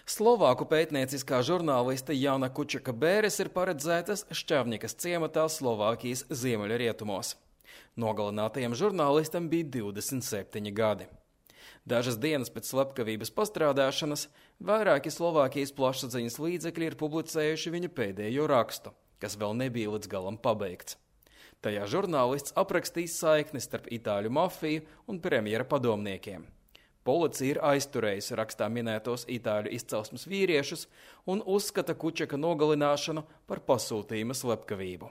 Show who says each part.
Speaker 1: Slovāku pētnieciskā žurnāliste Jana Kučaka Bēres ir paredzētas Šķavņikas ciematā Slovākijas ziemeļrietumos. Nogalinātajam žurnālistam bija 27 gadi. Dažas dienas pēc slepkavības pastrādāšanas vairāki Slovākijas plašsaziņas līdzekļi ir publicējuši viņa pēdējo rakstu, kas vēl nebija līdz galam pabeigts. Tajā žurnālists aprakstīs saikni starp itāļu mafiju un premjera padomniekiem. Policija ir aizturējusi rakstā minētos itāļu izcelsmes vīriešus un uzskata Kučaka nogalināšanu par pasūtījuma slepkavību.